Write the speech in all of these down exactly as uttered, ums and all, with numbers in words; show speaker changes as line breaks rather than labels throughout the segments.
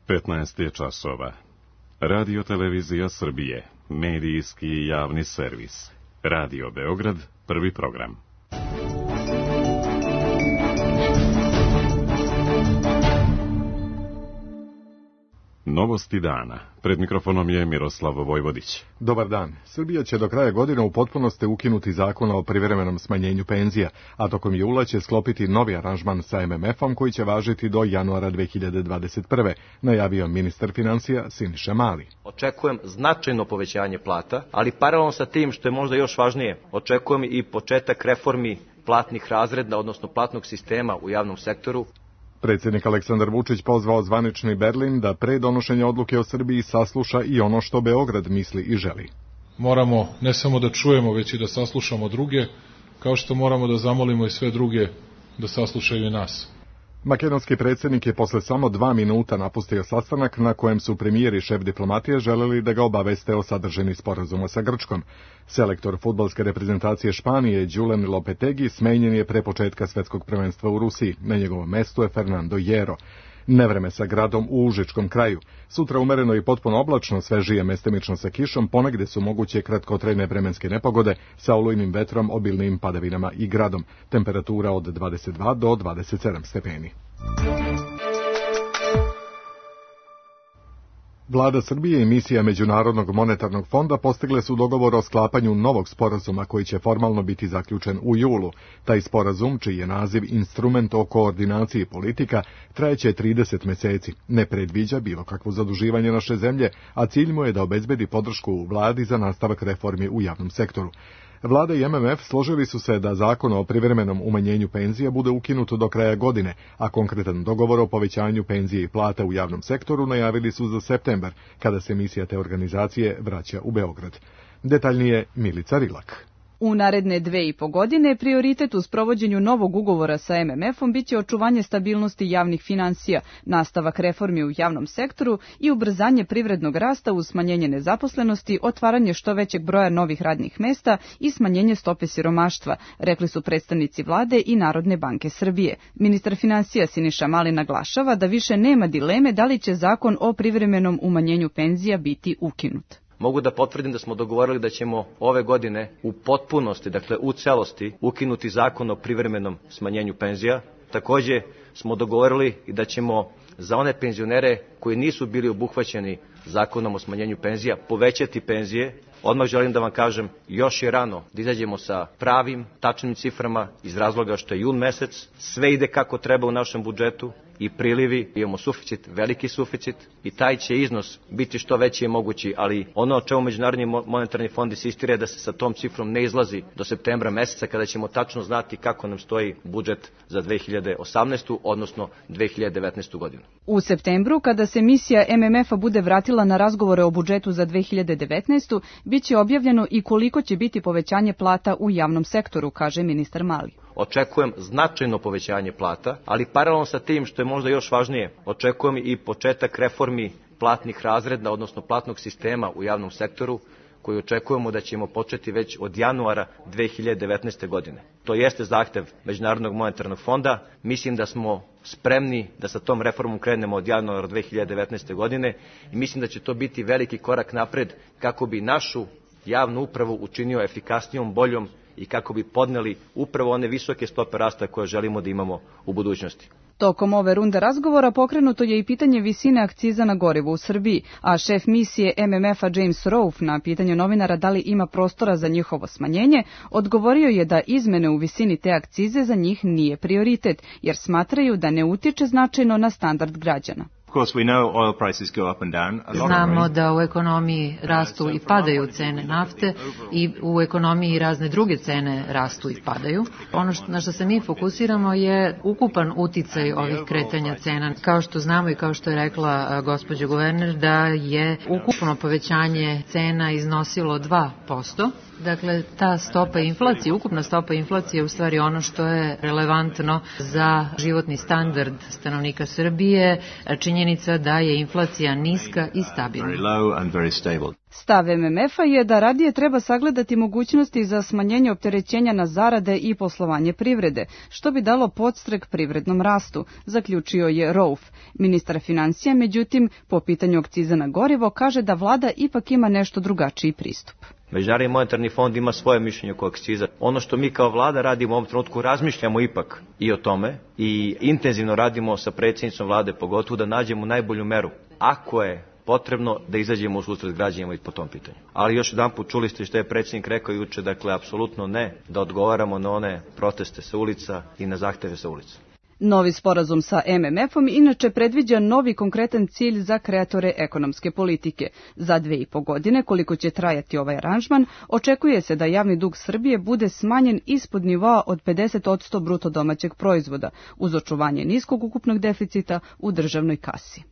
petnaest je časova. Radio Televizija Srbije, medijski i javni servis. Radio Beograd, prvi program. Novosti dana. Pred mikrofonom je Miroslav Vojvodić.
Dobar dan. Srbija će do kraja godine u potpunosti ukinuti zakon o privremenom smanjenju penzija, a tokom jula će sklopiti novi aranžman sa em em efom koji će važiti do januara dve hiljade dvadeset prve, najavio ministar finansija Siniša Mali.
Očekujem značajno povećanje plata, ali paralelno sa tim, što je možda još važnije, očekujem i početak reformi platnih razreda, odnosno platnog sistema u javnom sektoru.
Predsjednik Aleksandar Vučić pozvao zvanični Berlin da pre donošenja odluke o Srbiji sasluša i ono što Beograd misli i želi.
Moramo ne samo da čujemo, već i da saslušamo druge, kao što moramo da zamolimo i sve druge da saslušaju i nas.
Makedonski predsjednik je posle samo dva minuta napustio sastanak na kojem su premijer i šef diplomatije želeli da ga obaveste o sadržini sporazuma sa Grčkom. Selektor fudbalske reprezentacije Španije Julen Lopetegi smenjen je pre početka svetskog prvenstva u Rusiji. Na njegovom mestu je Fernando Hierro. Nevreme sa gradom u Užičkom kraju. Sutra umereno i potpuno oblačno, svežije mestimično sa kišom, ponegde su moguće kratkotrajne vremenske nepogode sa olujnim vetrom, obilnim padavinama i gradom. Temperatura od dvadeset dva do dvadeset sedam stepeni. Vlada Srbije i misija Međunarodnog monetarnog fonda postigle su dogovor o sklapanju novog sporazuma koji će formalno biti zaključen u julu. Taj sporazum, čiji je naziv Instrument o koordinaciji politika, trajeće trideset meseci. Ne predviđa bilo kakvo zaduživanje naše zemlje, a cilj mu je da obezbedi podršku u vladi za nastavak reformi u javnom sektoru. Vlada i em em ef složili su se da zakon o privremenom umanjenju penzija bude ukinut do kraja godine, a konkretan dogovor o povećanju penzije i plata u javnom sektoru najavili su za septembar, kada se misija te organizacije vraća u Beograd. Detaljnije Milica Rilak.
U naredne dve i po godine prioritet u sprovođenju novog ugovora sa em em efom biće očuvanje stabilnosti javnih finansija, nastavak reformi u javnom sektoru i ubrzanje privrednog rasta uz smanjenje nezaposlenosti, otvaranje što većeg broja novih radnih mesta i smanjenje stope siromaštva, rekli su predstavnici vlade i Narodne banke Srbije. Ministar finansija Siniša Mali naglašava da više nema dileme da li će zakon o privremenom umanjenju penzija biti ukinut.
Mogu da potvrdim da smo dogovorili da ćemo ove godine u potpunosti, dakle u celosti, ukinuti zakon o privremenom smanjenju penzija. Takođe smo dogovorili i da ćemo za one penzionere koji nisu bili obuhvaćeni zakonom o smanjenju penzija povećati penzije. Odmah želim da vam kažem, još je rano da izađemo sa pravim, tačnim ciframa iz razloga što je jun mesec, sve ide kako treba u našem budžetu i prilivi, imamo suficit, veliki suficit i taj će iznos biti što veći je mogući, ali ono o čemu Međunarodni monetarni fond insistira je da se sa tom cifrom ne izlazi do septembra meseca kada ćemo tačno znati kako nam stoji budžet za dve hiljade osamnaestu. odnosno dve hiljade devetnaestu. godinu.
U septembru, kada se misija em em efa bude vratila na razgovore o budžetu za dve hiljade devetnaestu. biće objavljeno i koliko će biti povećanje plata u javnom sektoru, kaže ministar Mali.
Očekujem značajno povećanje plata, ali paralelno sa tim, što je možda još važnije, očekujem i početak reformi platnih razreda, odnosno platnog sistema u javnom sektoru, koji očekujemo da ćemo početi već od januara dve hiljade devetnaeste. godine. To jeste zahtev Međunarodnog monetarnog fonda. Mislim da smo spremni da sa tom reformom krenemo od januara dve hiljade devetnaeste. godine i mislim da će to biti veliki korak napred kako bi našu javnu upravu učinio efikasnijom, boljom i kako bi podneli upravo one visoke stope rasta koje želimo da imamo u budućnosti.
Tokom ove runde razgovora pokrenuto je i pitanje visine akciza na gorivo u Srbiji, a šef misije em em efa James Rolfe na pitanje novinara da li ima prostora za njihovo smanjenje, odgovorio je da izmene u visini te akcize za njih nije prioritet, jer smatraju da ne utiče značajno na standard građana.
Znamo da u ekonomiji rastu i padaju cene nafte i u ekonomiji razne druge cene rastu i padaju. Ono na što se mi fokusiramo je ukupan uticaj ovih kretanja cena. Kao što znamo i kao što je rekla gospođa guverner, da je ukupno povećanje cena iznosilo dva posto. Dakle, ta stopa inflacije, ukupna stopa inflacije je u stvari ono što je relevantno za životni standard stanovnika Srbije, činjenica da je inflacija niska i stabilna.
Stav M M F-a je da radije treba sagledati mogućnosti za smanjenje opterećenja na zarade i poslovanje privrede, što bi dalo podstrek privrednom rastu, zaključio je Rauf. Ministar financija, međutim, po pitanju akciza na gorivo, kaže da vlada ipak ima nešto drugačiji pristup.
Međunarodni monetarni fond ima svoje mišljenje oko akciza. Ono što mi kao vlada radimo u ovom trenutku, razmišljamo ipak i o tome i intenzivno radimo sa predsjednicom vlade, pogotovo da nađemo najbolju meru. Ako je potrebno da izađemo u susret građanima i po tom pitanju. Ali još jedan put čuli ste što je predsjednik rekao juče, dakle, apsolutno ne da odgovaramo na one proteste sa ulica i na zahteve sa ulica.
Novi sporazum sa M M F-om inače predviđa novi konkretan cilj za kreatore ekonomske politike. Za dve i po godine, koliko će trajati ovaj aranžman, očekuje se da javni dug Srbije bude smanjen ispod nivoa od pedeset posto bruto domaćeg proizvoda, uz očuvanje niskog ukupnog deficita u državnoj kasi.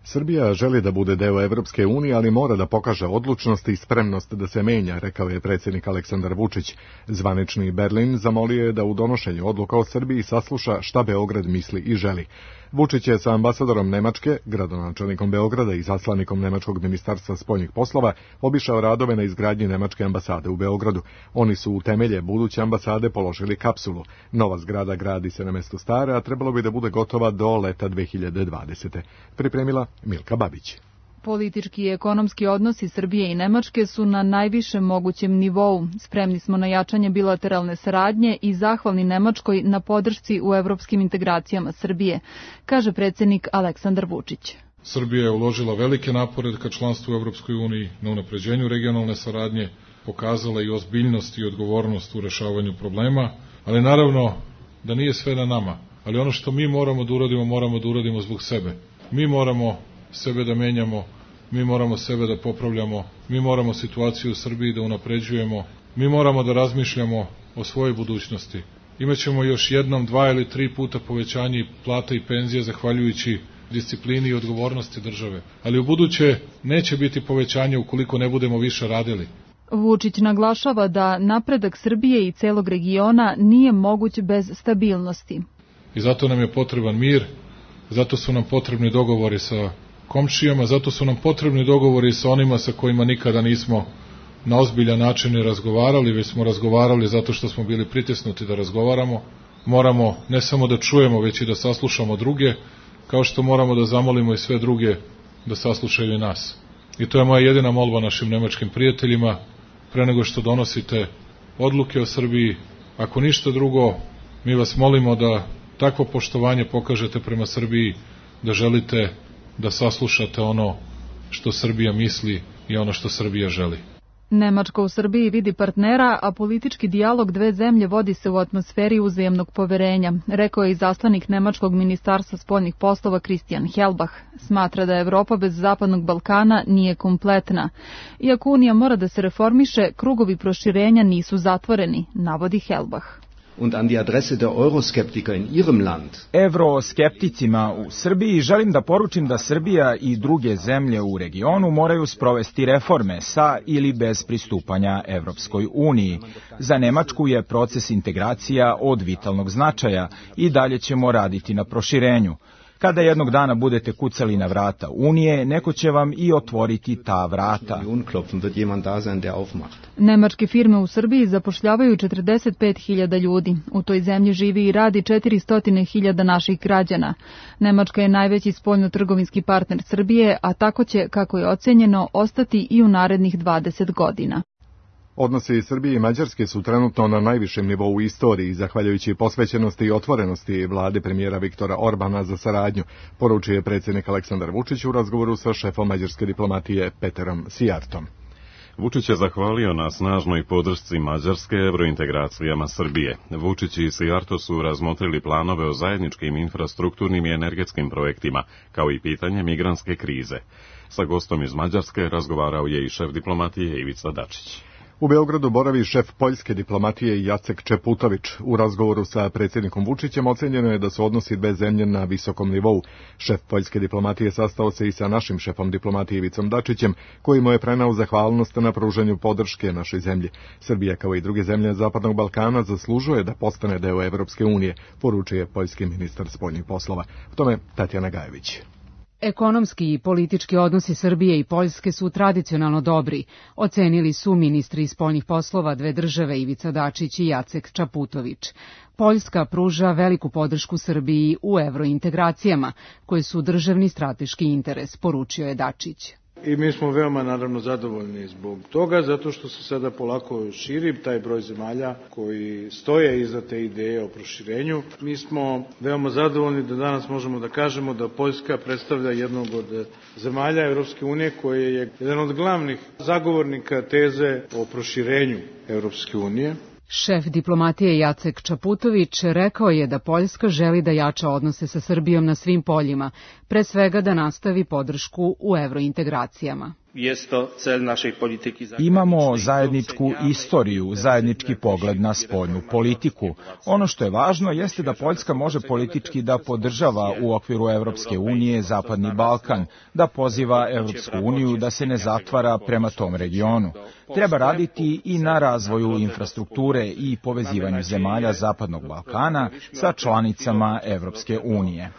Srbija želi da bude deo Evropske unije, ali mora da pokaže odlučnost i spremnost da se menja, rekao je predsjednik Aleksandar Vučić. Zvanični Berlin zamolio je da u donošenju odluka o Srbiji sasluša šta Beograd misli i želi. Vučić je sa ambasadorom Nemačke, gradonačelnikom Beograda i zaslanikom Nemačkog ministarstva spoljnih poslova obišao radove na izgradnji Nemačke ambasade u Beogradu. Oni su u temelje buduće ambasade položili kapsulu. Nova zgrada gradi se na mestu stare, a trebalo bi da bude gotova do leta dve hiljade dvadesete. Pripremila Milka Babić.
Politički i ekonomski odnosi Srbije i Nemačke su na najvišem mogućem nivou. Spremni smo na jačanje bilateralne saradnje i zahvalni Nemačkoj na podršci u evropskim integracijama Srbije, kaže predsjednik Aleksandar Vučić.
Srbija je uložila velike napore ka članstvu u Evropskoj uniji, na unapređenju regionalne saradnje, pokazala i ozbiljnost i odgovornost u rešavanju problema, ali naravno da nije sve na nama. Ali ono što mi moramo da uradimo, moramo da uradimo zbog sebe. Mi moramo sebe da menjamo, mi moramo sebe da popravljamo, mi moramo situaciju u Srbiji da unapređujemo, mi moramo da razmišljamo o svojoj budućnosti. Imaćemo još jednom, dva ili tri puta povećanje plata i penzija zahvaljujući disciplini i odgovornosti države. Ali u buduće neće biti povećanje ukoliko ne budemo više radili.
Vučić naglašava da napredak Srbije i celog regiona nije moguć bez stabilnosti.
I zato nam je potreban mir, zato su nam potrebni dogovori sa komšijama, zato su nam potrebni dogovori sa onima sa kojima nikada nismo na ozbiljan način ne razgovarali, već smo razgovarali zato što smo bili pritisnuti da razgovaramo. Moramo ne samo da čujemo, već i da saslušamo druge, kao što moramo da zamolimo i sve druge da saslušaju i nas. I to je moja jedina molba našim nemačkim prijateljima, pre nego što donosite odluke o Srbiji. Ako ništa drugo, mi vas molimo da takvo poštovanje pokažete prema Srbiji, da želite da saslušate ono što Srbija misli i ono što Srbija želi.
Nemačka u Srbiji vidi partnera, a politički dijalog dve zemlje vodi se u atmosferi uzajamnog poverenja, rekao je i zaslanik Nemačkog ministarstva spoljnih poslova Christian Helbach. Smatra da Evropa bez Zapadnog Balkana nije kompletna. Iako Unija mora da se reformiše, krugovi proširenja nisu zatvoreni, navodi Helbach.
Und an die Adresse der Euroskeptiker in ihrem Land.
Evroskepticima u Srbiji želim da poručim da Srbija i druge zemlje u regionu moraju sprovesti reforme sa ili bez pristupanja Evropskoj uniji. Za Nemačku je proces integracija od vitalnog značaja i dalje ćemo raditi na proširenju. Kada jednog dana budete kucali na vrata Unije, neko će vam i otvoriti ta vrata.
Nemačke firme u Srbiji zapošljavaju četrdeset pet hiljada ljudi. U toj zemlji živi i radi četiristo hiljada naših građana. Nemačka je najveći spoljno-trgovinski partner Srbije, a tako će, kako je ocenjeno, ostati i u narednih dvadeset godina.
Odnosi Srbije i Mađarske su trenutno na najvišem nivou u istoriji, zahvaljujući posvećenosti i otvorenosti vlade premijera Viktora Orbana za saradnju, poručuje predsjednik Aleksandar Vučić u razgovoru sa šefom mađarske diplomatije Peterom Sijartom.
Vučić je zahvalio na snažnoj podršci Mađarske evrointegracijama Srbije. Vučić i Sijarto su razmotrili planove o zajedničkim infrastrukturnim i energetskim projektima, kao i pitanje migrantske krize. Sa gostom iz Mađarske razgovarao je i šef diplomatije Ivica Dačić.
U Beogradu boravi šef poljske diplomatije Jacek Čeputović. U razgovoru sa predsjednikom Vučićem ocenjeno je da su odnosi dve zemlje na visokom nivou. Šef poljske diplomatije sastao se i sa našim šefom diplomatije Ivicom Dačićem, koji mu je prenao zahvalnost na pružanju podrške našoj zemlji. Srbija, kao i druge zemlje Zapadnog Balkana, zaslužuje da postane deo Evropske unije, poručuje poljski ministar spoljnih poslova. O tome Tatjana Gajević.
Ekonomski i politički odnosi Srbije i Poljske su tradicionalno dobri, ocenili su ministri spoljnih poslova dve države Ivica Dačić i Jacek Čaputović. Poljska pruža veliku podršku Srbiji u evrointegracijama, koje su državni strateški interes, poručio je Dačić.
I mi smo veoma naravno zadovoljni zbog toga, zato što se sada polako širi taj broj zemalja koji stoje iza te ideje o proširenju. Mi smo veoma zadovoljni da danas možemo da kažemo da Poljska predstavlja jednog od zemalja Evropske unije koji je jedan od glavnih zagovornika teze o proširenju Evropske unije.
Šef diplomatije Jacek Čaputović rekao je da Poljska želi da jača odnose sa Srbijom na svim poljima, pre svega da nastavi podršku u evrointegracijama.
Imamo zajedničku istoriju, zajednički pogled na spoljnu politiku. Ono što je važno jeste da Poljska može politički da podržava u okviru Evropske unije Zapadni Balkan, da poziva Evropsku uniju da se ne zatvara prema tom regionu. Treba raditi i na razvoju infrastrukture i povezivanju zemalja Zapadnog Balkana sa članicama Evropske unije.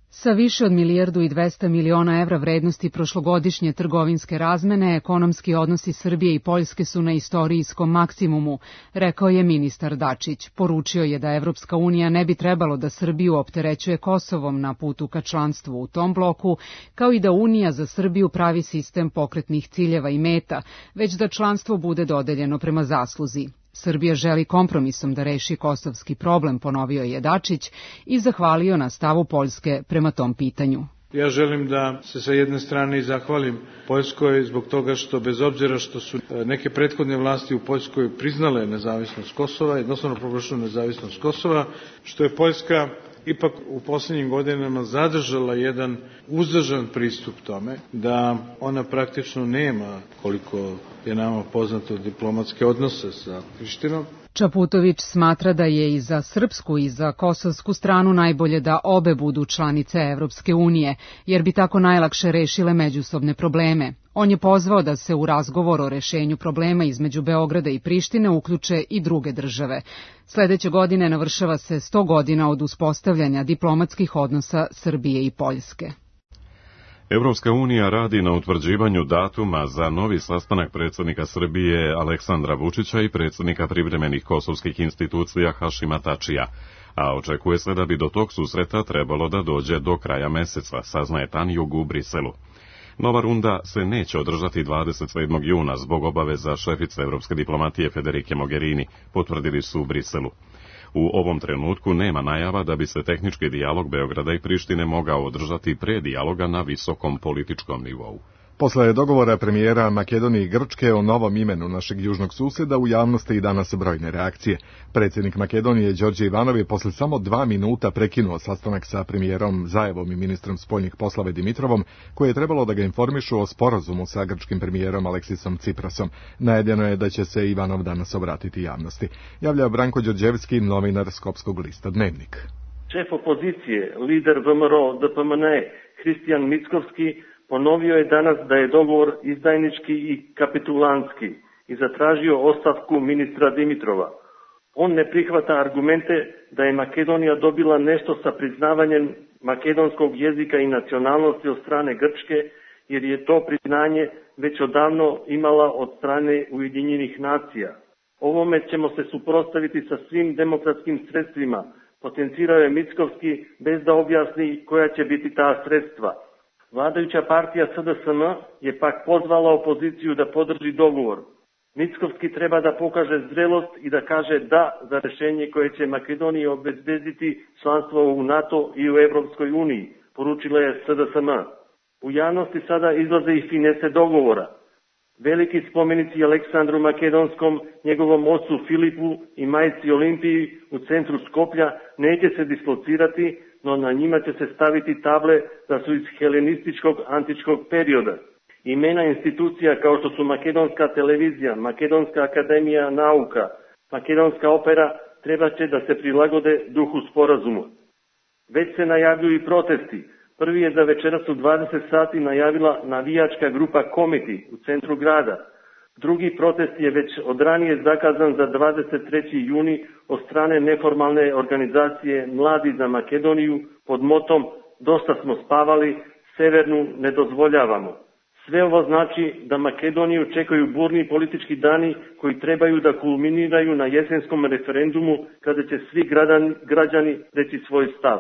Sa više od milijardu i dvesta miliona evra vrednosti prošlogodišnje trgovinske razmene, ekonomski odnosi Srbije i Poljske su na istorijskom maksimumu, rekao je ministar Dačić. Poručio je da Evropska unija ne bi trebalo da Srbiju opterećuje Kosovom na putu ka članstvu u tom bloku, kao i da Unija za Srbiju pravi sistem pokretnih ciljeva i meta, već da članstvo bude dodeljeno prema zasluzi. Srbija želi kompromisom da reši kosovski problem, ponovio je Dačić i zahvalio na stavu Poljske prema tom pitanju.
Ja želim da se sa jedne strane zahvalim Poljskoj zbog toga što bez obzira što su neke prethodne vlasti u Poljskoj priznale nezavisnost Kosova, jednostavno proglašenu nezavisnost Kosova, što je Poljska ipak u posljednjim godinama zadržala jedan uzdržan pristup tome, da ona praktično nema, koliko je nama poznato, diplomatske odnose sa Prištinom.
Čaputović smatra da je i za srpsku i za kosovsku stranu najbolje da obe budu članice Evropske unije, jer bi tako najlakše rešile međusobne probleme. On je pozvao da se u razgovor o rešenju problema između Beograda i Prištine uključe i druge države. Sledeće godine navršava se sto godina od uspostavljanja diplomatskih odnosa Srbije i Poljske.
Evropska unija radi na utvrđivanju datuma za novi sastanak predsjednika Srbije Aleksandra Vučića i predsjednika privremenih kosovskih institucija Hašima Tačija, a očekuje se da bi do tog susreta trebalo da dođe do kraja meseca, saznaje Tanjug u Briselu. Nova runda se neće održati dvadeset sedmog juna zbog obaveza šefice evropske diplomatije Federike Mogherini, potvrdili su u Briselu. U ovom trenutku nema najava da bi se tehnički dijalog Beograda i Prištine mogao održati pre dijaloga na visokom političkom nivou.
Posle dogovora premijera Makedonije i Grčke o novom imenu našeg južnog susjeda u javnosti i danas brojne reakcije. Predsjednik Makedonije Đorđe Ivanov je posle samo dva minuta prekinuo sastanak sa premijerom Zajevom i ministrom spoljnih poslova Dimitrovom, koji je trebalo da ga informišu o sporazumu sa grčkim premijerom Aleksisom Ciprasom. Najavljeno je da će se Ivanov danas obratiti javnosti. Javlja Branko Đorđevski, novinar Skopskog lista Dnevnik.
Šef opozicije, lider V M R O D P M N E, Hristijan Mickovski, ponovio je danas da je dogovor izdajnički i kapitulanski i zatražio ostavku ministra Dimitrova. On ne prihvata argumente da je Makedonija dobila nešto sa priznavanjem makedonskog jezika i nacionalnosti od strane Grčke, jer je to priznanje već odavno imala od strane Ujedinjenih nacija. Ovome ćemo se suprotstaviti sa svim demokratskim sredstvima, potencirao je Mickovski bez da objasni koja će biti ta sredstva. Vladajuća partija S D S M je pak pozvala opoziciju da podrži dogovor. Mickovski treba da pokaže zrelost i da kaže da za rešenje koje će Makedoniji obezbediti članstvo u NATO i u Evropskoj uniji, poručila je S D S M. U javnosti sada izlaze i finese dogovora. Veliki spomenici Aleksandru Makedonskom, njegovom ocu Filipu i majci Olimpiji u centru Skoplja neće se dislocirati, no na njima će se staviti table da su iz helenističkog antičkog perioda. Imena institucija kao što su Makedonska televizija, Makedonska akademija nauka, Makedonska opera treba će da se prilagode duhu sporazuma. Već se najavljuju i protesti. Prvi je za večeras u dvadeset sati najavila navijačka grupa Komiti u centru grada. Drugi protest je već od ranije zakazan za dvadeset treći juni od strane neformalne organizacije Mladi za Makedoniju pod motom dosta smo spavali, severnu ne dozvoljavamo. Sve ovo znači da Makedoniju čekaju burni politički dani koji trebaju da kulminiraju na jesenskom referendumu kada će svi građani reći svoj stav.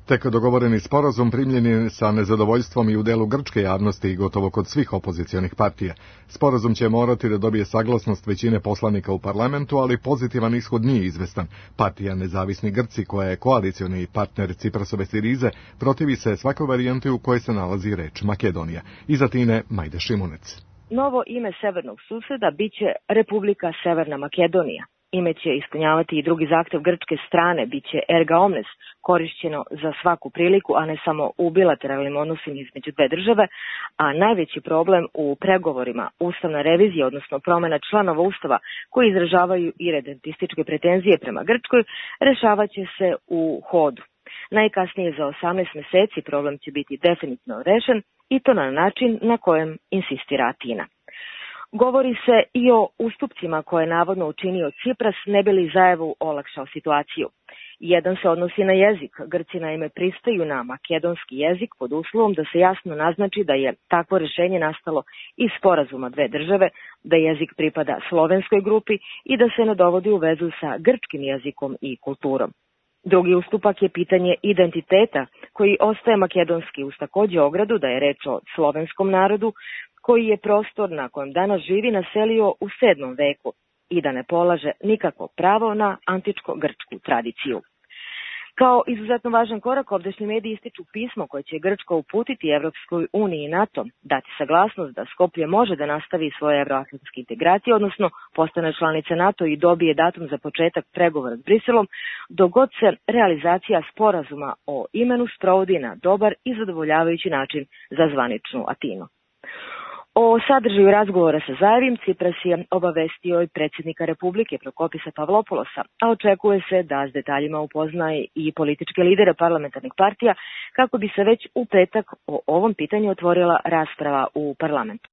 Tek dogovoreni sporazum primljen je sa nezadovoljstvom i u delu grčke javnosti i gotovo kod svih opozicionih partija. Sporazum će morati da dobije saglasnost većine poslanika u parlamentu, ali pozitivan ishod nije izvestan. Partija Nezavisni Grci, koja je koalicioni partner Ciprasove Sirize, protivi se svakoj varijanti u kojoj se nalazi reč Makedonija. Iz Atine, Majda Šimunec.
Novo ime severnog suseda biće Republika Severna Makedonija. Ime će ispunjavati i drugi zahtev grčke strane, biće erga omnes, korišćeno za svaku priliku, a ne samo u bilateralnim odnosima između dve države, a najveći problem u pregovorima ustavna revizija, odnosno promjena članova ustava koji izražavaju iredentističke pretenzije prema Grčkoj, rešavaće se u hodu. Najkasnije za osamnaest meseci problem će biti definitivno rešen i to na način na kojem insistira Atina. Govori se i o ustupcima koje je navodno učinio Cipras, ne bi li Zajevu olakšao situaciju. Jedan se odnosi na jezik. Grci naime pristaju na makedonski jezik pod uslovom da se jasno naznači da je takvo rešenje nastalo iz sporazuma dve države, da jezik pripada slovenskoj grupi i da se ne dovodi u vezu sa grčkim jezikom i kulturom. Drugi ustupak je pitanje identiteta, koji ostaje makedonski uz takođe ogradu da je reč o slovenskom narodu, koji je prostor na kojem danas živi naselio u sedmom veku i da ne polaže nikakvo pravo na antičko-grčku tradiciju. Kao izuzetno važan korak, ovdašnji mediji ističu pismo koje će Grčka uputiti Evropskoj uniji i NATO, dati saglasnost da Skoplje može da nastavi svoje evroatlantske integracije, odnosno postane članica NATO i dobije datum za početak pregovora s Briselom, dok god se realizacija sporazuma o imenu sprovodi na dobar i zadovoljavajući način za zvaničnu Atinu. O sadržaju razgovora sa Zajevim Cipras je obavestio i predsjednika Republike Prokopisa Pavlopoulosa, a očekuje se da s detaljima upoznaje i političke lidere parlamentarnih partija kako bi se već u petak o ovom pitanju otvorila rasprava u parlamentu.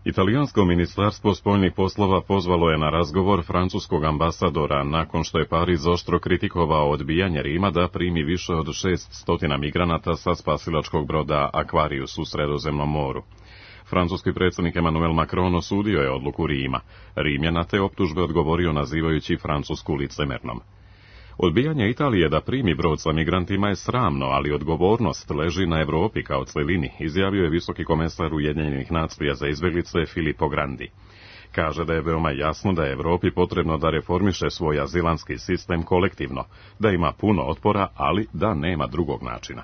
Italijansko ministarstvo spoljnih poslova pozvalo je na razgovor francuskog ambasadora nakon što je Pariz oštro kritikovao odbijanje Rima da primi više od šeststo migranata sa spasilačkog broda Aquarius u Sredozemnom moru. Francuski predsjednik Emmanuel Macron osudio je odluku Rima. Rim je na te optužbe odgovorio nazivajući Francusku licemernom. Odbijanje Italije da primi brod sa migrantima je sramno, ali odgovornost leži na Evropi kao celini, izjavio je visoki komesar Ujedinjenih nacija za izbjeglice Filippo Grandi. Kaže da je veoma jasno da je Evropi potrebno da reformiše svoj azilanski sistem kolektivno, da ima puno otpora, ali da nema drugog načina.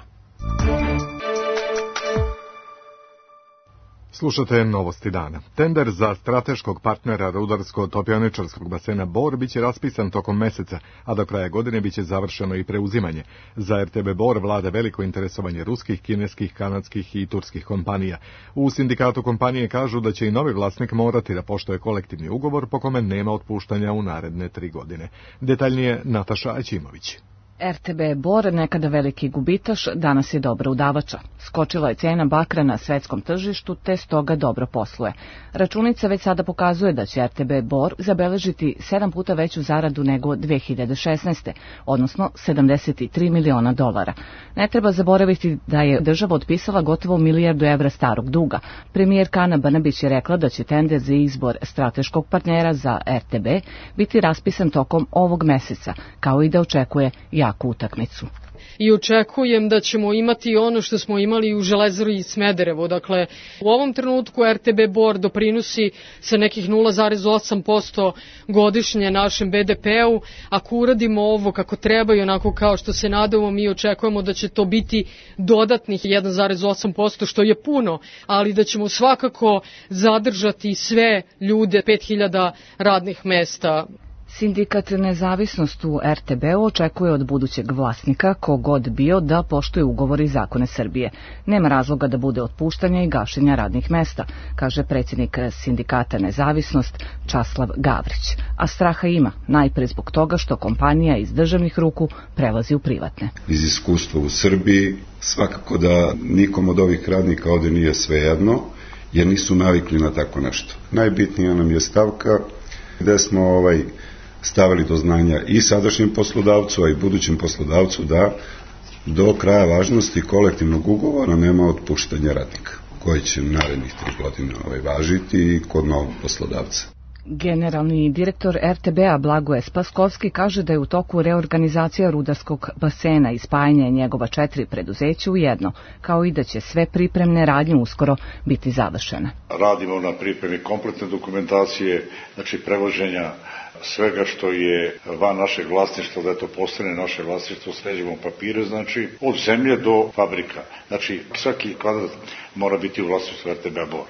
Slušate novosti dana. Tender za strateškog partnera rudarsko-topioničarskog basena Bor biće raspisan tokom meseca, a do kraja godine biće završeno i preuzimanje. Za R T B Bor vlada veliko interesovanje ruskih, kineskih, kanadskih i turskih kompanija. U sindikatu kompanije kažu da će i novi vlasnik morati da poštuje kolektivni ugovor po kome nema otpuštanja u naredne tri godine. Detaljnije Nataša Aćimović.
R T B Bor, nekada veliki gubitaš, danas je dobra udavača. Skočila je cena bakra na svetskom tržištu, te stoga dobro posluje. Računica već sada pokazuje da će R T B Bor zabeležiti sedam puta veću zaradu nego dve hiljade šesnaeste. odnosno sedamdeset tri miliona dolara. Ne treba zaboraviti da je država otpisala gotovo milijardu evra starog duga. Premijerka Ana Brnabić je rekla da će tender za izbor strateškog partnera za R T B biti raspisan tokom ovog meseca, kao i da očekuje jaku utakmicu.
I očekujem da ćemo imati ono što smo imali u Železari i Smederevo. Dakle, u ovom trenutku R T B Bor doprinosi sa nekih nula zarez osam posto godišnje našem B D P-u. Ako uradimo ovo kako treba i onako kao što se nadamo, mi očekujemo da će to biti dodatnih jedan zarez osam posto, što je puno, ali da ćemo svakako zadržati sve ljude, pet hiljada radnih mesta.
Sindikat Nezavisnost u R T B-u očekuje od budućeg vlasnika, kogod bio, da poštuje ugovore i zakone Srbije. Nema razloga da bude otpuštanja i gašenja radnih mesta, kaže predsjednik sindikata Nezavisnost Časlav Gavrić. A straha ima, najpre zbog toga što kompanija iz državnih ruku prelazi u privatne.
Iz iskustva u Srbiji svakako da nikom od ovih radnika ovde nije svejedno, jer nisu navikli na tako nešto. Najbitnija nam je stavka gde smo ovaj stavili do znanja i sadašnjem poslodavcu, a i budućem poslodavcu da do kraja važnosti kolektivnog ugovora nema otpuštanja radnika, koji će narednih tri godine ovaj, važiti i kod novog poslodavca.
Generalni direktor er te be a Blagoje Spaskovski kaže da je u toku reorganizacija rudarskog basena i spajanje njegova četiri preduzeća u jedno, kao i da će sve pripremne radnje uskoro biti završene.
Radimo na pripremi kompletne dokumentacije, znači prevoženja svega što je van našeg vlasništva, da to postane naše vlasništvo, sređemo papire, znači od zemlje do fabrika. Znači svaki kvadrat mora biti u vlasništvu er te be a Bor.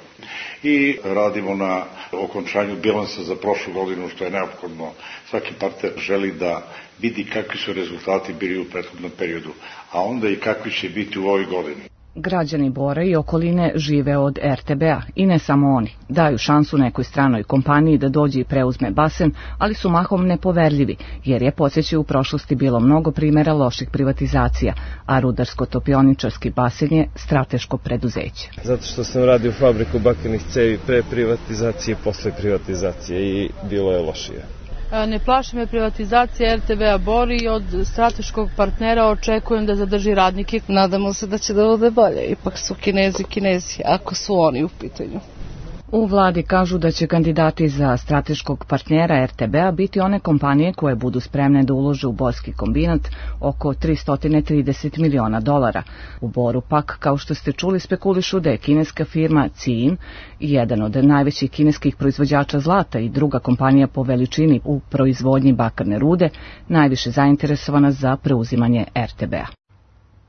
I radimo na okončanju bilansa za prošlu godinu, što je neophodno. Svaki partner želi da vidi kakvi su rezultati bili u prethodnom periodu, a onda i kakvi će biti u ovoj godini.
Građani Bora i okoline žive od er te be a i ne samo oni. Daju šansu nekoj stranoj kompaniji da dođe i preuzme basen, ali su mahom nepoverljivi, jer je, podsjećaju, u prošlosti bilo mnogo primjera loših privatizacija, a rudarsko-topioničarski basen je strateško preduzeće.
Zato što sam radio fabriku bakrenih cevi pre privatizacije i posle privatizacije i bilo je lošije.
Ne plaši me privatizacija er te be a Bor i od strateškog partnera očekujem da zadrži radnike.
Nadamo se da će da bude bolje, ipak su Kinezi Kinezi, ako su oni u pitanju.
U vladi kažu da će kandidati za strateškog partnera er te be a biti one kompanije koje budu spremne da ulože u borski kombinat oko tristo trideset miliona dolara. U Boru pak, kao što ste čuli, spekulišu da je kineska firma Ciin, jedan od najvećih kineskih proizvođača zlata i druga kompanija po veličini u proizvodnji bakarne rude, najviše zainteresovana za preuzimanje er te be a.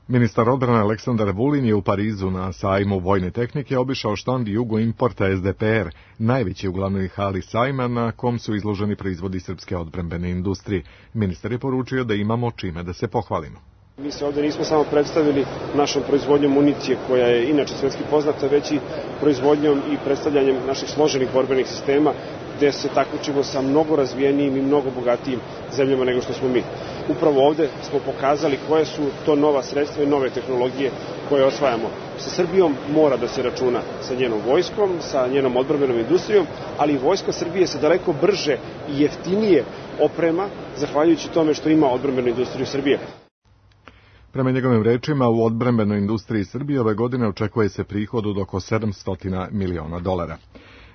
Ministar odbrane Aleksandar Vulin je u Parizu na sajmu vojne tehnike obišao štand Jugo Importa es de pe er, najveći u glavnoj hali sajma na kom su izloženi proizvodi srpske odbrambene industrije. Ministar je poručio da imamo čime da se pohvalimo.
Mi se ovdje nismo samo predstavili našom proizvodnjom municije, koja je inače svjetski poznata, već i proizvodnjom i predstavljanjem naših složenih borbenih sistema, gde se takmičimo sa mnogo razvijenijim i mnogo bogatijim zemljama nego što smo mi. Upravo ovdje smo pokazali koje su to nova sredstva i nove tehnologije koje osvajamo. Sa Srbijom mora da se računa sa njenom vojskom, sa njenom odbrambenom industrijom, ali i vojska Srbije se daleko brže i jeftinije oprema, zahvaljujući tome što ima odbrambenu industriju Srbije.
Prema njegovim rečima, u odbrambenoj industriji Srbije ove godine očekuje se prihod od oko sedamsto miliona dolara.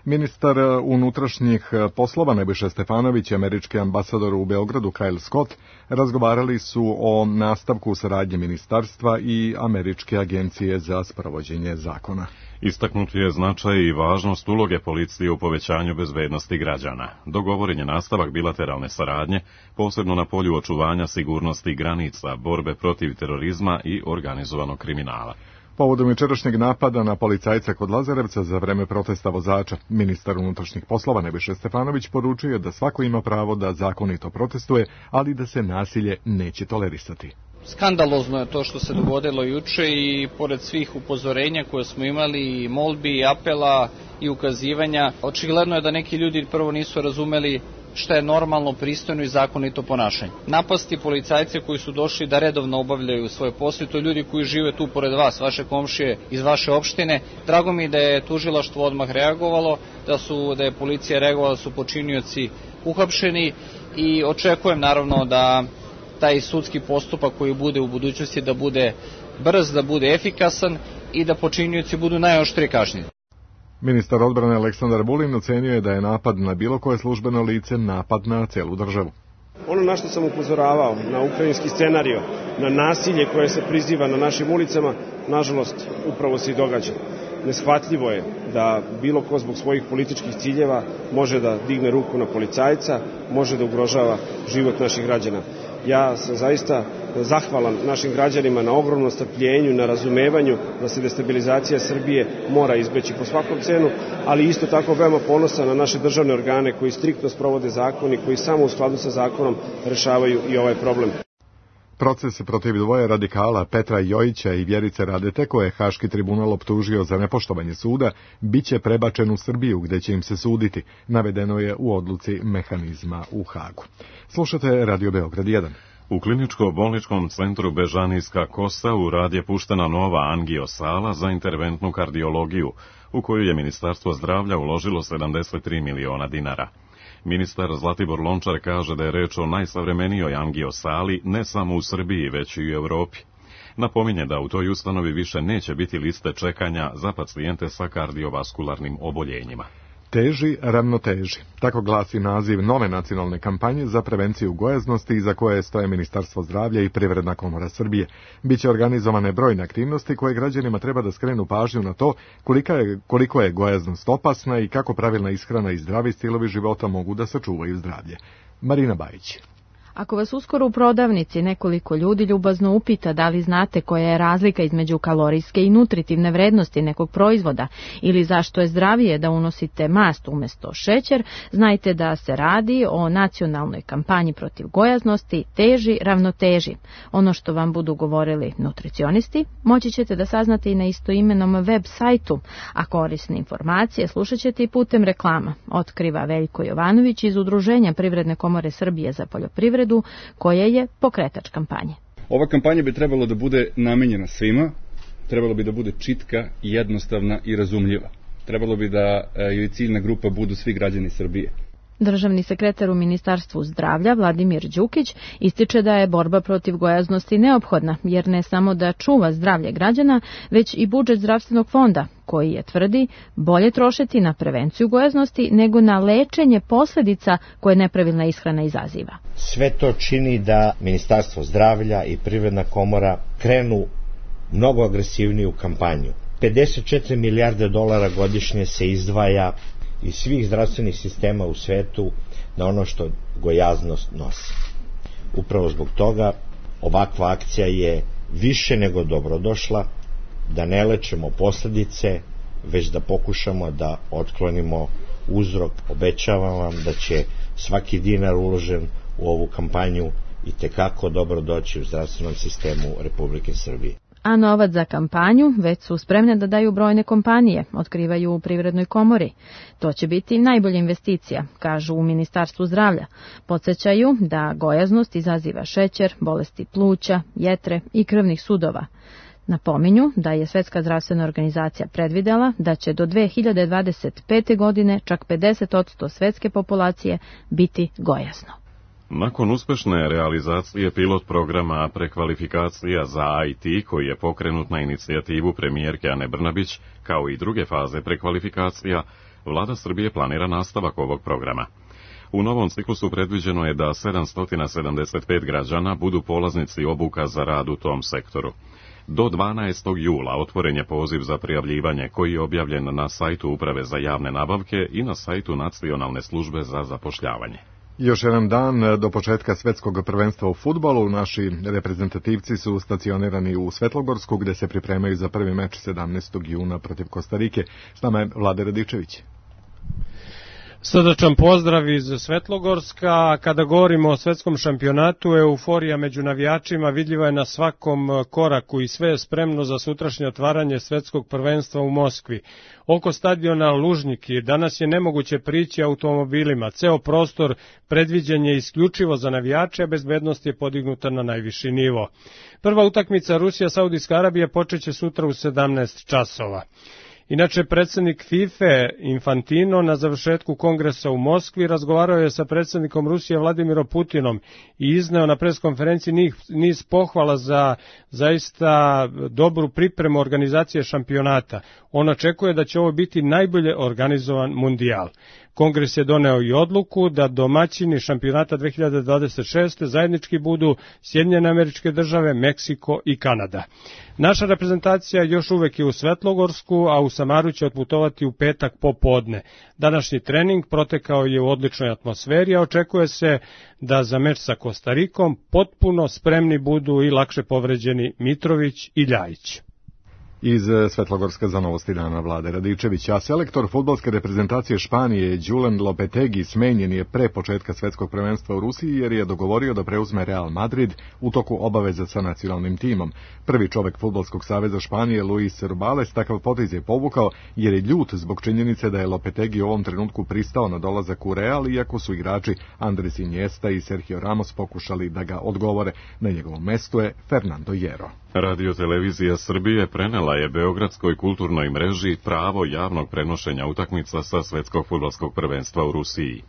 Ministar unutrašnjih poslova Nebojša Stefanović i američki ambasador u Beogradu Kyle Scott razgovarali su o nastavku saradnje ministarstva i američke agencije za sprovođenje zakona.
Istaknut je značaj i važnost uloge policije u povećanju bezbednosti građana. Dogovoren je nastavak bilateralne saradnje, posebno na polju očuvanja sigurnosti granica, borbe protiv terorizma i organizovanog kriminala.
Povodom jučerašnjeg napada na policajca kod Lazarevca za vreme protesta vozača, ministar unutrašnjih poslova Nebojša Stefanović poručio da svako ima pravo da zakonito protestuje, ali da se nasilje neće tolerisati.
Skandalozno je to što se dogodilo juče i pored svih upozorenja koje smo imali, molbi, apela i ukazivanja, očigledno je da neki ljudi prvo nisu razumeli šta je normalno, pristojno i zakonito ponašanje. Napasti policajce koji su došli da redovno obavljaju svoje posle, to ljudi koji žive tu pored vas, vaše komšije iz vaše opštine. Drago mi da je tužilaštvo odmah reagovalo, da su da je policija reagovala, da su počinioci uhapšeni i očekujem naravno da taj sudski postupak koji bude u budućnosti da bude brz, da bude efikasan i da počinioci budu najoštrije kažnjeni.
Ministar odbrane Aleksandar Vulin ocenio je da je napad na bilo koje službeno lice napad na celu državu.
Ono na što sam upozoravao, na ukrajinski scenario, na nasilje koje se priziva na našim ulicama, nažalost, upravo se i događa. Neshvatljivo je da bilo ko zbog svojih političkih ciljeva može da digne ruku na policajca, može da ugrožava život naših građana. Ja sam zaista zahvalan našim građanima na ogromnom strpljenju, na razumevanju da se destabilizacija Srbije mora izbeći po svakom cenu, ali isto tako veoma ponosan na naše državne organe koji striktno sprovode zakon i koji samo u skladu sa zakonom rešavaju i ovaj problem.
Proces protiv dvoje radikala Petra Jojića i Vjerice Radete, koje je Haški tribunal optužio za nepoštovanje suda, biće prebačen u Srbiju gde će im se suditi, navedeno je u odluci mehanizma u Hagu. Slušate Radio Beograd jedan.
U kliničko-bolničkom centru Bežanijska Kosa u rad je puštena nova angiosala za interventnu kardiologiju, u koju je Ministarstvo zdravlja uložilo sedamdeset tri miliona dinara. Ministar Zlatibor Lončar kaže da je reč o najsavremenijoj angiosali ne samo u Srbiji, već i u Evropi. Napominje da u toj ustanovi više neće biti liste čekanja za pacijente sa kardiovaskularnim oboljenjima.
Teži, ravnoteži. Tako glasi naziv nove nacionalne kampanje za prevenciju gojaznosti za koje stoje Ministarstvo zdravlja i Privredna komora Srbije. Biće organizovane brojne aktivnosti koje građanima treba da skrenu pažnju na to kolika je, koliko je gojaznost opasna i kako pravilna ishrana i zdravi stilovi života mogu da sačuvaju zdravlje. Marina Bajić.
Ako vas uskoro u prodavnici nekoliko ljudi ljubazno upita da li znate koja je razlika između kalorijske i nutritivne vrednosti nekog proizvoda ili zašto je zdravije da unosite mast umjesto šećer, znajte da se radi o nacionalnoj kampanji protiv gojaznosti Teži, ravnoteži. Ono što vam budu govorili nutricionisti moći ćete da saznate i na istoimenom web sajtu, a korisne informacije slušat ćete i putem reklama, otkriva Veljko Jovanović iz Udruženja Privredne komore Srbije za poljoprivredu, koje je pokretač kampanje.
Ova kampanja bi trebalo da bude namenjena svima, trebalo bi da bude čitka, jednostavna i razumljiva. Trebalo bi da joj ciljna grupa budu svi građani Srbije.
Državni sekretar u Ministarstvu zdravlja Vladimir Đukić ističe da je borba protiv gojaznosti neophodna, jer ne samo da čuva zdravlje građana, već i budžet zdravstvenog fonda, koji je, tvrdi, bolje trošiti na prevenciju gojaznosti nego na lečenje posljedica koje nepravilna ishrana izaziva.
Sve to čini da Ministarstvo zdravlja i Privredna komora krenu mnogo agresivniju kampanju. pedeset četiri milijarde dolara godišnje se izdvaja iz svih zdravstvenih sistema u svetu na ono što gojaznost nosi. Upravo zbog toga ovakva akcija je više nego dobrodošla, da ne lečemo posljedice, već da pokušamo da otklonimo uzrok. Obećavam vam da će svaki dinar uložen u ovu kampanju i tekako dobro doći u zdravstvenom sistemu Republike Srbije.
A novac za kampanju već su spremne da daju brojne kompanije, otkrivaju u Privrednoj komori. To će biti najbolja investicija, kažu u Ministarstvu zdravlja. Podsjećaju da gojaznost izaziva šećer, bolesti pluća, jetre i krvnih sudova. Napominju da je Svetska zdravstvena organizacija predvidela da će do dve hiljade dvadeset pete. godine čak pedeset posto svetske populacije biti gojazno.
Nakon uspešne realizacije pilot programa prekvalifikacija za I T koji je pokrenut na inicijativu premijerke Ane Brnabić, kao i druge faze prekvalifikacija, Vlada Srbije planira nastavak ovog programa. U novom ciklusu predviđeno je da sedamsto sedamdeset pet građana budu polaznici obuka za rad u tom sektoru. Do dvanaestog jula otvoren je poziv za prijavljivanje koji je objavljen na sajtu Uprave za javne nabavke i na sajtu Nacionalne službe za zapošljavanje.
Još jedan dan do početka svetskog prvenstva u fudbalu. Naši reprezentativci su stacionirani u Svetlogorsku, gde se pripremaju za prvi meč sedamnaestog juna protiv Kostarike. S nama je Vlada Radičević.
Srdačan pozdrav iz Svetlogorska. Kada govorimo o svetskom šampionatu, euforija među navijačima vidljiva je na svakom koraku i sve je spremno za sutrašnje otvaranje svetskog prvenstva u Moskvi. Oko stadiona Lužniki danas je nemoguće prići automobilima. Ceo prostor predviđen je isključivo za navijače, a bezbednost je podignuta na najviši nivo. Prva utakmica Rusija-Saudijska Arabija počeće sutra u sedamnaest časova. Inače, predsjednik FIFA Infantino na završetku kongresa u Moskvi razgovarao je sa predsjednikom Rusije Vladimirom Putinom i izneo na preskonferenciji niz pohvala za zaista dobru pripremu organizacije šampionata. On očekuje da će ovo biti najbolje organizovan mundijal. Kongres je doneo i odluku da domaćini šampionata dve hiljade dvadeset šeste. zajednički budu Sjedinjene Američke Države, Meksiko i Kanada. Naša reprezentacija još uvek je u Svetlogorsku, a u Samaru će otputovati u petak popodne. Današnji trening protekao je u odličnoj atmosferi, a očekuje se da za meč sa Kostarikom potpuno spremni budu i lakše povređeni Mitrović i Ljajić.
Iz Svetlogorska za novosti dana Vlade Radičević, a selektor fudbalske reprezentacije Španije Julen Lopetegi smenjen je pre početka svetskog prvenstva u Rusiji jer je dogovorio da preuzme Real Madrid u toku obaveza sa nacionalnim timom. Prvi čovek Fudbalskog saveza Španije Luis Rubiales takav potez je povukao jer je ljut zbog činjenice da je Lopetegi u ovom trenutku pristao na dolazak u Real, iako su igrači Andres Iniesta i Sergio Ramos pokušali da ga odgovore. Na njegovom mestu je Fernando Hierro.
Radio televizija Srbije prenela je Beogradskoj kulturnoj mreži pravo javnog prenošenja utakmica sa svetskog fudbalskog prvenstva u Rusiji.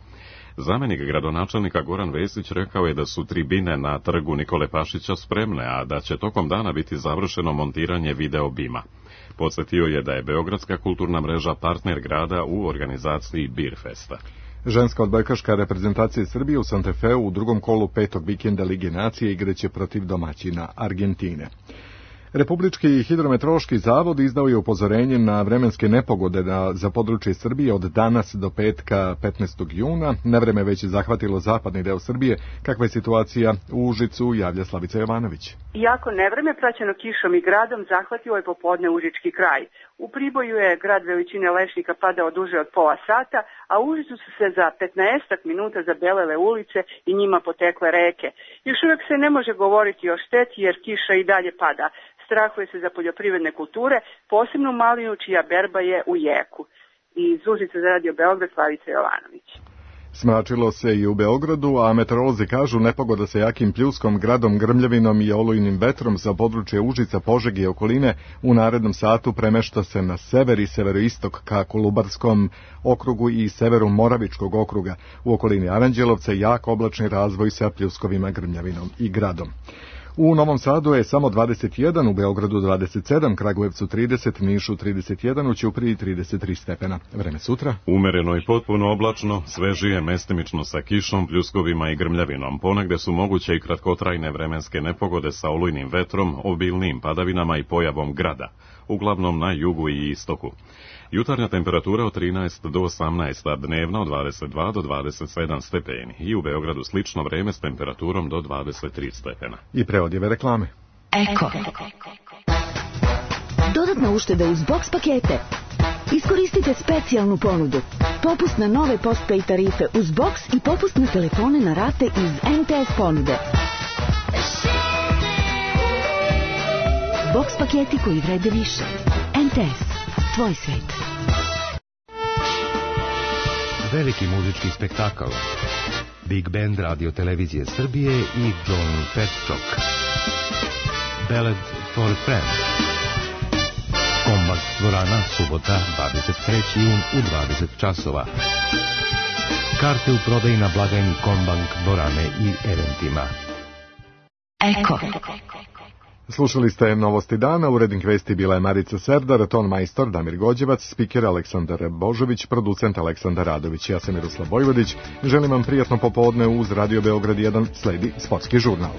Zamenik gradonačelnika Goran Vesić rekao je da su tribine na trgu Nikole Pašića spremne, a da će tokom dana biti završeno montiranje video bima. Podsjetio je da je Beogradska kulturna mreža partner grada u organizaciji Beer Festa.
Ženska odbojkaška reprezentacija Srbije u Santa Feu u drugom kolu petog vikenda Lige nacije igraće protiv domaćina Argentine. Republički hidrometeorološki zavod izdao je upozorenje na vremenske nepogode za područje Srbije od danas do petka petnaestog juna. Nevreme već je zahvatilo zapadni deo Srbije. Kakva je situacija u Užicu, javlja Slavica Jovanović.
Iako nevreme praćeno kišom i gradom zahvatilo je popodne Užički kraj. U Priboju je grad veličine lešnika padao duže od pola sata, a u Užicu su se za petnaestak minuta zabelele ulice i njima potekle reke. Još uvijek se ne može govoriti o šteti jer kiša i dalje pada. Strahuje se za poljoprivredne kulture, posebno malinu čija berba je u jeku. Iz Užica za Radio Beograd, Slavica Jovanović.
Smračilo se i u Beogradu, a meteorolozi kažu nepogoda sa jakim pljuskom, gradom, grmljavinom i olujnim vetrom za područje Užica, Požege i okoline u narednom satu premešta se na sever i severoistok ka Kolubarskom okrugu i severu Moravičkog okruga. U okolini Aranđelovca jak oblačni razvoj sa pljuskovima, grmljavinom i gradom. U Novom Sadu je samo dvadeset jedan, u Beogradu dvadeset sedam, Kragujevcu trideset, Nišu trideset jedan, u Ćupriji trideset tri stepena. Vreme sutra?
Umereno i potpuno oblačno, svežije mestimično sa kišom, pljuskovima i grmljavinom. Ponegde su moguće i kratkotrajne vremenske nepogode sa olujnim vetrom, obilnim padavinama i pojavom grada, uglavnom na jugu i istoku. Jutarnja temperatura od trinaest do osamnaest, a dnevna od dvadeset dva do dvadeset sedam stepeni. I u Beogradu slično vreme s temperaturom do dvadeset tri stepena.
I pre odjeve reklame.
Eko. Dodatna ušteda uz box pakete. Iskoristite specijalnu ponudu. Popust na nove postpay tarife uz box i popust na telefone na rate iz en te es ponude. Box paketi koji vrede više. en te es. Tvoj svet.
Veliki muzički spektakl. Big Band Radio Televizije Srbije i John Petchok. Ballad for a Friend. Kombak dvorana, subota, dvadeset treći jun u dvadeset časova. Karte u prodaji na blagajni Kombank dvorane i eventima.
Eko.
Slušali ste Novosti dana, urednik vesti bila je Marica Serdar, ton majstor Damir Gođevac, spiker Aleksandar Božović, producent Aleksandar Radović. Ja sam Miroslav Vojvodić, želim vam prijatno popodne uz Radio Beograd jedan, sledi sportski žurnal.